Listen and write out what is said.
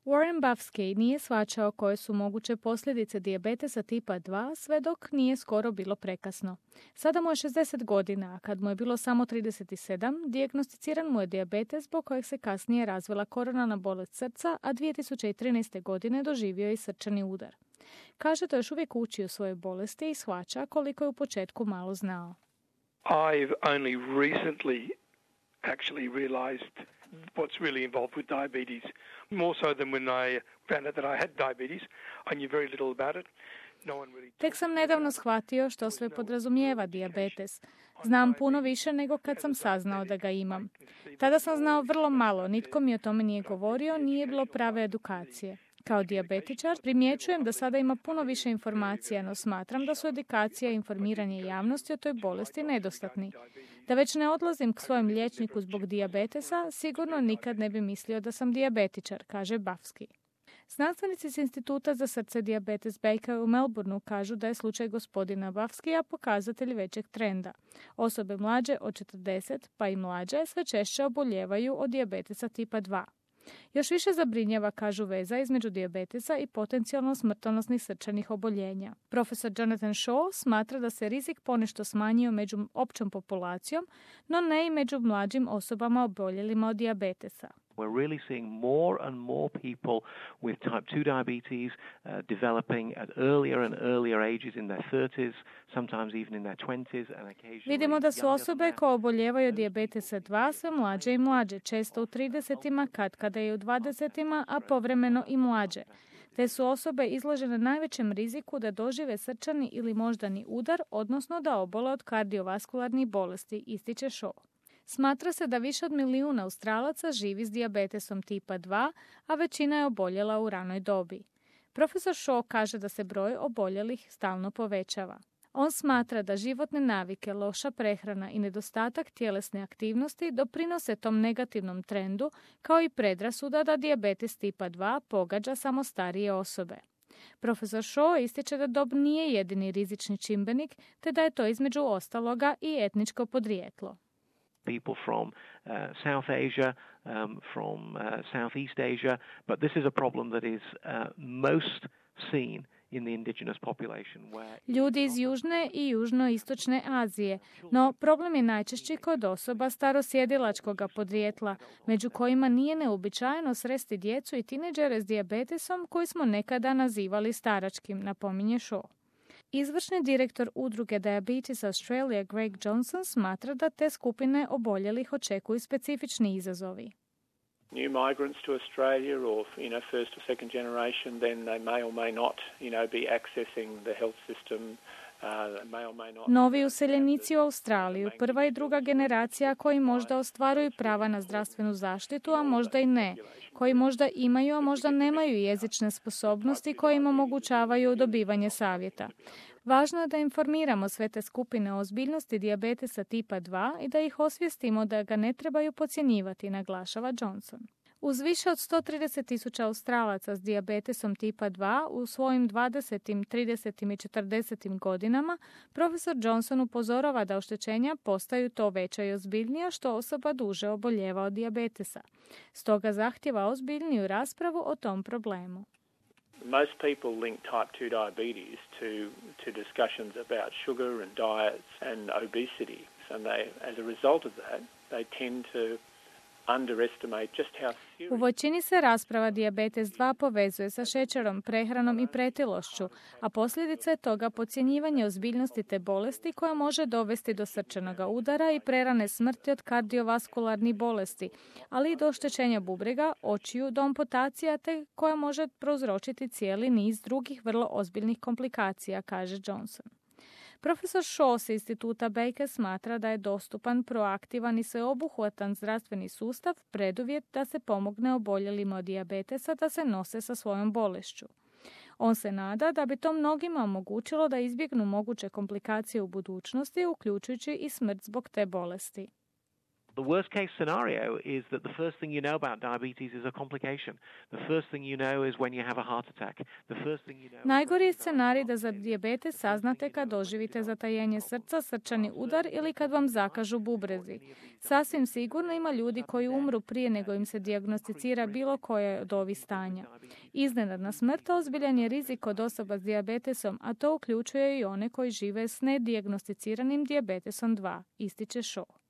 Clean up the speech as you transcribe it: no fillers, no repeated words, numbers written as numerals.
Warren Buffsky nije shvaćao koje su moguće posljedice dijabetesa tipa 2 sve dok nije skoro bilo prekasno. Sada mu je 60 godina, a kad mu je bilo samo 37, dijagnosticiran mu je dijabetes zbog kojeg se kasnije razvila koronarna bolest srca, a 2013. godine doživio je i srčani udar. Kaže da još uvijek uči o svojoj bolesti i shvaća koliko je u početku malo znao. I've only recently actually realized what's really involved with diabetes, more so than when I found out that I had diabetes. I knew very little about it. Tek sam nedavno shvatio što sve podrazumijeva dijabetes. Znam puno više nego kad sam saznao da ga imam. Tada sam znao vrlo malo, nitko mi o tome nije govorio, nije bilo prave edukacije. Kao dijabetičar primjećujem da sada ima puno više informacija, no smatram da su edukacija i informiranje javnosti o toj bolesti nedostatni. Da već ne odlazim k svojem liječniku zbog dijabetesa, sigurno nikad ne bi mislio da sam dijabetičar, kaže Buffsky. Znanstvenici s Instituta za srce dijabetes Baker u Melbourneu kažu da je slučaj gospodina Buffskya pokazatelj većeg trenda. Osobe mlađe od 40 pa i mlađe sve češće oboljevaju od dijabetesa tipa 2. Još više zabrinjava, kažu, veza između dijabetesa i potencijalno smrtonosnih srčanih oboljenja. Profesor Jonathan Shaw smatra da se rizik ponešto smanjio među općom populacijom, no ne i među mlađim osobama oboljelima od dijabetesa. We're really seeing more and more people with type 2 diabetes developing at earlier and earlier ages in their 30s, sometimes even in their 20s and occasionally. Vidimo da su osobe koje oboljevaju od dijabetesa 2 sve mlađe i mlađe, često u 30-ima, katkada i u 20-ima, a povremeno i mlađe. Te su osobe izložene najvećem riziku da dožive srčani ili moždani udar, odnosno da obole od kardiovaskularnih bolesti, ističe Shaw. Smatra se da više od 1 milijun Australaca živi s dijabetesom tipa 2, a većina je oboljela u ranoj dobi. Profesor Shaw kaže da se broj oboljelih stalno povećava. On smatra da životne navike, loša prehrana i nedostatak tjelesne aktivnosti doprinose tom negativnom trendu, kao i predrasuda da dijabetes tipa 2 pogađa samo starije osobe. Profesor Shaw ističe da dob nije jedini rizični čimbenik, te da je to između ostaloga i etničko podrijetlo. People from South Asia, from Southeast Asia, but this is a problem that is most seen in the indigenous population. Ljudi iz Južne i Južnoistočne Azije, no problem je najčešći kod osoba starosjedilačkoga podrijetla, među kojima nije neuobičajeno sresti djecu i tineđere s dijabetesom koji smo nekada nazivali staračkim, napominje Shaw. Izvršni direktor udruge Diabetes Australia Greg Johnson smatra da te skupine oboljelih očekuju specifični izazovi. New migrants to Australia or first or second generation, then they may or may not be accessing the health system. Novi useljenici u Australiju, prva i druga generacija koji možda ostvaruju prava na zdravstvenu zaštitu, a možda i ne, koji možda imaju, a možda nemaju jezične sposobnosti koje im omogućavaju dobivanje savjeta. Važno je da informiramo sve te skupine o ozbiljnosti dijabetesa tipa 2 i da ih osvijestimo da ga ne trebaju podcjenjivati, naglašava Johnson. Uz više od 130,000 Australaca s dijabetesom tipa 2 u svojim 20., 30. i 40. godinama, profesor Johnson upozorava da oštećenja postaju to veća i ozbiljnija što osoba duže oboljeva od dijabetesa. Stoga zahtjeva ozbiljniju raspravu o tom problemu. Most people link type 2 diabetes to discussions about sugar and diets and obesity. And as a result of that, they tend to underestimate just how serious. U većini se rasprava dijabetes 2 povezuje sa šećerom, prehranom i pretilošću, a posljedica je toga podcjenjivanje ozbiljnosti te bolesti koja može dovesti do srčanog udara i prerane smrti od kardiovaskularnih bolesti, ali i do oštećenja bubrega, očiju, do amputacija te koja može prouzročiti cijeli niz drugih vrlo ozbiljnih komplikacija, kaže Johnson. Profesor Shaw s Instituta Baker smatra da je dostupan, proaktivan i sveobuhvatan zdravstveni sustav preduvjet da se pomogne oboljelima od dijabetesa da se nose sa svojom bolešću. On se nada da bi to mnogima omogućilo da izbjegnu moguće komplikacije u budućnosti, uključujući i smrt zbog te bolesti. The worst case scenario is that the first thing you know about diabetes is a complication. The first thing you know is when you have a heart attack. The first thing you know. Najgori je scenarij da za dijabetes saznate kad doživite zatajenje srca, srčani udar ili kad vam zakažu bubrezi. Sasvim sigurno ima ljudi koji umru prije nego im se dijagnosticira bilo koje od ovih stanja. Iznenadna smrt ozbiljan je rizik od osoba s dijabetesom, a to uključuje i one koji žive s nedijagnosticiranim dijabetesom 2, ističe Shaw.